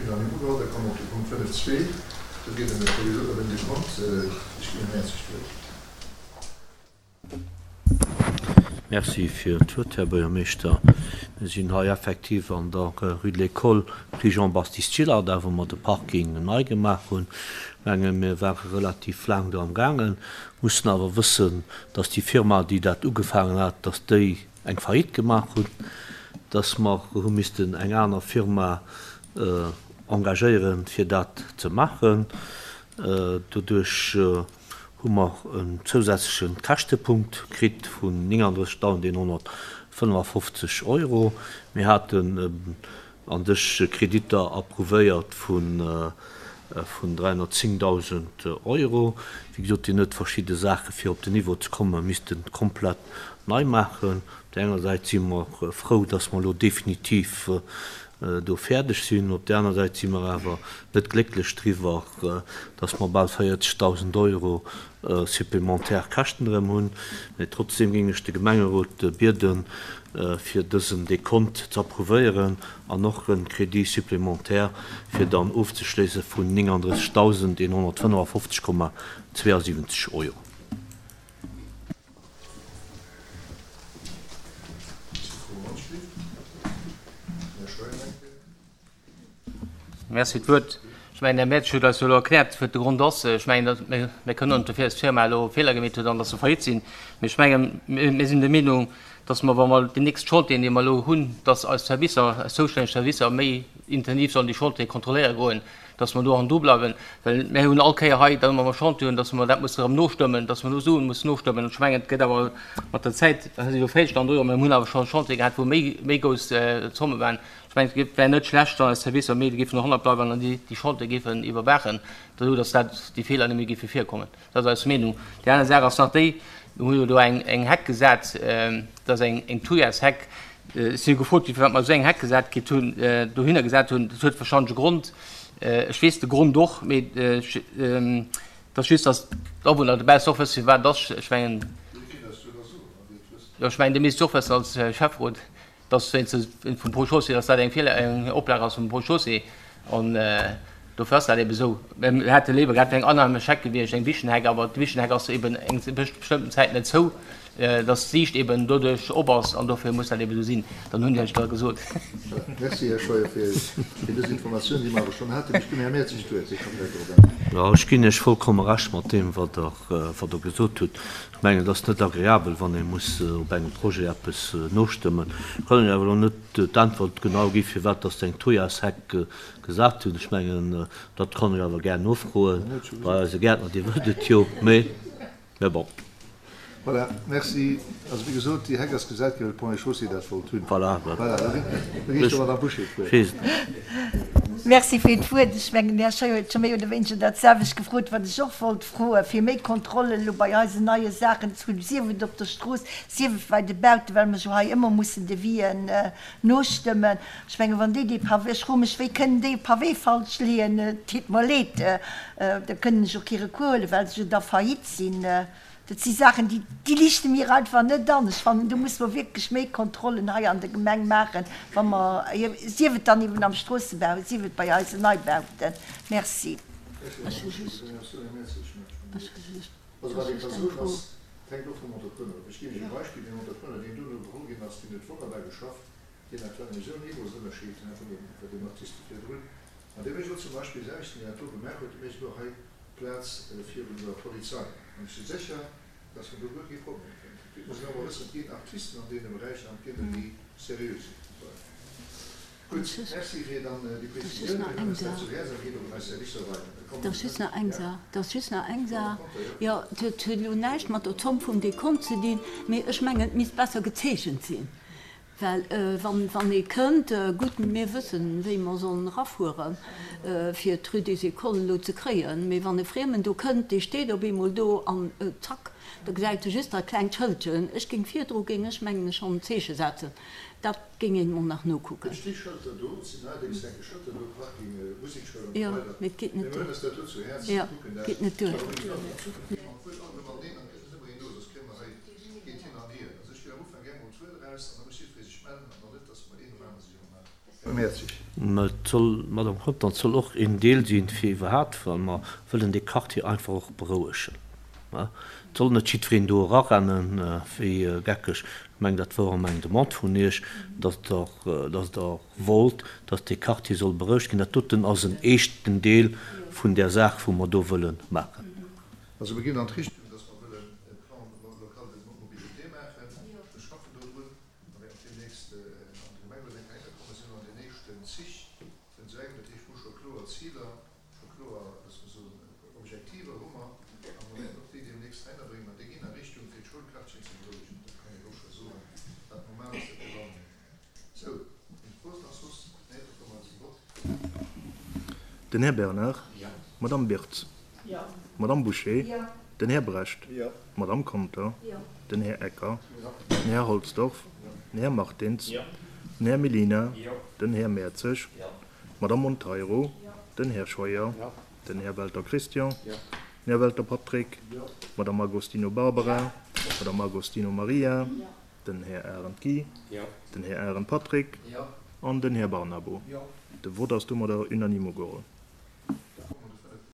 unanime ugeholl. Da komme mer op de Punkt 5.2. Do geet et ëm en Dekont. Ech ginn dem Här Zig d'Wuert. Merci fir d'Wuert, Här Buergermeeschter. Mir sinn hei effektiv an der Rue de l'École, Prix Jean-Baptiste Gillardin, wou mer de Parking nei gemaach hunn. Ech menge mir ware relativ laang do amgaangen, mussen awer wëssen, dass déi Firma, déi dat ugefaangen hat, dass déi eng Faillite gemaach hunn, dass mer hu missten eng aner Firma engagéieren, fir dat ze maachen. Doduerch hu mer en zousätzleche Käschtepunkt kritt vun 39.155 Euro. Mir haten an sech Kreditter approuvéiert vun 310.000 Euro. Wéi gesot, deen huet verschidde Saache fir op den Niveau ze kommen, misste komplett nei maachen. Op där enger Säit si mer frou, dass mer elo definitiv do fäerdeg sinn. Op där aner Säit si mer awer net glécklech driwwer, dass mer bal 40.000 Euro supplémentaire Käschten erëm hunn. Mee trotzdeem géing ech de Gemengerot bieden, fir dësen Dekont ze approuvéieren an och e Crédit supplémentaire fir dann ofzeschléisse vun 39.155,72 Euro. Merci fir d'Wuert. Ech mengen, den Här Mertsch huet eis jo elo erkläert, wat de Grond ass. Ech mengen, datt mir, mir kënnen net dofir, dass d'Firma elo Feeler gemeet huet an dass se faillite sinn. Mee ech mengen, mir sinn der Meenung, dass mer, wa mer déi nächst Chantieren, déi mer elo hunn, dass eis Servicer, eis zoustänneg Servicer méi intensiv sollen déi Chantiere kontrolléiere goen, dass mer do hanndru bleiwen, well mir hunn all Kéier hei dann, wa mer Chantier hunn, dass mer dat musse erëm nostëmmen, dass mer do Suen mussen nostëmmen. Ech mengen, et gëtt awer mat der Zäit, dat ass elo Féilstand do, mä mir hunn awer scho Chantiere gehat, wou méi, méi grouss Zomme waren. Ech mengen, et wär net schlecht, wann eis Servicer méi géifen dohannert bleiwen an déi, déi Chantiere géifen iwwerwaachen, esou dass dat, déi Feeler net méi géife virkommen. Dat ass eis Meenung. Déi aner Saach ass nach déi, Mir hu jo do eng, eng Heck gesat, dat ass eng, eng Thujasheck. Ech si jo gefrot ginn, firwat mer esou eng Heck gesat kritt hunn, dohinner gesat hunn. Dat huet warscheinlech e Grond. Ech weess de Grond och, mee et ass just, datt d'Awunner dobaussen och wëssen, firwat et ass. Ech mengen, jo, ech mengen, Dir misst et och wëssen als Schäfferot. Dass wéinst vum Ponts Chaussée, dass dat eng Feeler, eng Oplag ass vum Ponts Chaussée an dofir ass dat eben esou. Mir hätte léiwer gehat, et wär eng anheimesch Heck gewiescht, eng Wichenheck, awer d'Wichenheck ass eben eng bestëmmten Zäit net zou, dass d'Siicht eben doduerch op ass an dofir muss dat eben esou sinn. Dann hunn ech dat gesot. Merci, Här Scheuer, fir dës Informatioun, déi mer awer schonn haten. Ech ginn dem Här Mertzig d'Wuert, hie ka vläicht dorop äntweren. Jo, ech ginn Iech vollkomme Recht mat deem, wat Der gesot hutt. Ech mengen, et ass net agreabel, wann ee muss op engem Projet eppes nostëmmen. Ech kann Iech awer elo net d'Äntwert genau gi firwat datt se eng Thujasheck gesat hunn. Ech mengen, dat kann ech awer gär nofroe bei eise Gäertner, dee wëllt et jo. Mee, mee bon. Voilà, merci. Also, wéi gesot, déi Heck ass gesat ginn, well d'Ponts et Chaussées dat wollt hunn. Voilà, Voilà, da ginn ech der Madame Bouché d'Wuert. Merci fir d'Wuert. Ech mengen, den Här Scheuer huet scho méi oder wéineger dat selwecht gefrot, wat ech och wollt froen, fir méi Kontrollen elo bei eisen neie Saachen ze hunn, sief et op der Strooss, sief et bei de Bauten, well mer jo hei ëmmer mussen Devisen nostëmmen. Ech mengen, wann déi dee Pavé, ech froe mech, wéi kënnen déi e Pavé falsch leeën? Et deet mer leed, da kënnen ech och kee Recours huelen, well se jo da faillite sinn. Dat si Saachen, déi, déi liichte mir einfach net an. Ech fannen, do musse mer wierklech méi Kontrollen hei an der Gemeng maachen, wa mer, sief et dann eben am Stroossebau, sief et bei eisen Neibauten. Merci. Ech hu just, ech hu just, Also wat ee ka soen ass, et hänkt och vum Entrepreneur of. Ech ginn Iech e Beispill, Deen Entrepreneur, deen dono geholl ginn ass, deen huet wonnerbar geschafft, deen hat war nämlech esou en Niveausënnerscheed vun deem, bei deem Artiste virdrun. An dee mécht elo zum Beispill déi Aarbechten, déi dat do gemaach huet, dee mécht elo hei d'Plaz virun der Polizei. An ech si sécher, dass mer do guer kee Problem kënnen. Et muss een och emol wëssen, et ginn Artisten an deene Beräicher an et ginn der, déi seriö sinn. Voilà. Gutt, merci fir dann déi Prezisioun. Mir huelen eis dat zu Häerz a ginn och un eis Servicer weider. Da komme mer zu der, ja? Et ass just nach eng Saach. Jo, et huet elo näischt mat der Zomm vum Dekont ze dinn, mee ech mengen, et misst besser gezeechent sinn. Well wann ee kënnt, gutt, mir wëssen, wéi mer sollen erafueren, fir d'Rue des Écoles elo ze kréien, mee wann e Friemen do kënnt, dee steet op eemol do an zack, da gesäit e just dat klengt Schëldchen. Ech géing virdru, géing ech mengen ech, schonn en Zeeche setzen. Dat géing een mol nach nokucken. Et sti Schëlter do, et sinn neierdéngs enke Schëlter do, Parking, Musekschoul an esou weider. Mee et geet net duer. Mee mir huelen eis dat do zu Häerz, Jo, kucken dat. Geet net duer. Mä et soll, Madame Conter, et soll och een Deel sinn, fir iwwerhaapt, well mer wëllen dee Quartier einfach och berouegen. Et soll net jiddwereen do erarennen wéi geckeg. Ech mengen, dat wor ëm eng Demande vun Iech, dass Der, dass Der wollt, dass dee Quartier soll berouegt ginn. Dat doten ass en éischten Deel vun där Saach, wou mer do wëlle maachen. Also mir ginn an d'Richtung, dass mer wëllen e Plan local de mobilité maachen. Mir schaffen dodrun a wäerten deemnächst an de Gemengerot eng Kéier heikommen. Sinn an den éischten Zich vun esou engem. Dat heescht, mir hu scho kloer Ziler, scho kloer, loosse mer soen, Objektiver hu mer a mer wäerten och déi deemnächst heihinnerbréngen an déi ginn a Richtung, fir d'Schoulquartieren ze berouegen. Dat kann een och scho soen. Wat normal ass, dat gewannen. Sou, eng Fro ass nach soss? Nee, da komme mer zum Vott. Den Här Bernard. D'Madame Birtz. D'Madame Bouché. Den Här Brecht. D'Madame Conter. Den Här Ecker. Den Här Holsdorf. Den Här Martins. Den Här Mellina. Den Här Mertzig. D'Madame Monteiro. Den Här Scheuer. Den Här Welter Christian. Den Här Welter Patrick. D'Madame Agostino Barbara. D'Madame Agostino Maria. Den Här Arendt Guy, den Här Arendt Patrick an den Här Barnabo. De Vott ass domadder unanime ugeholl.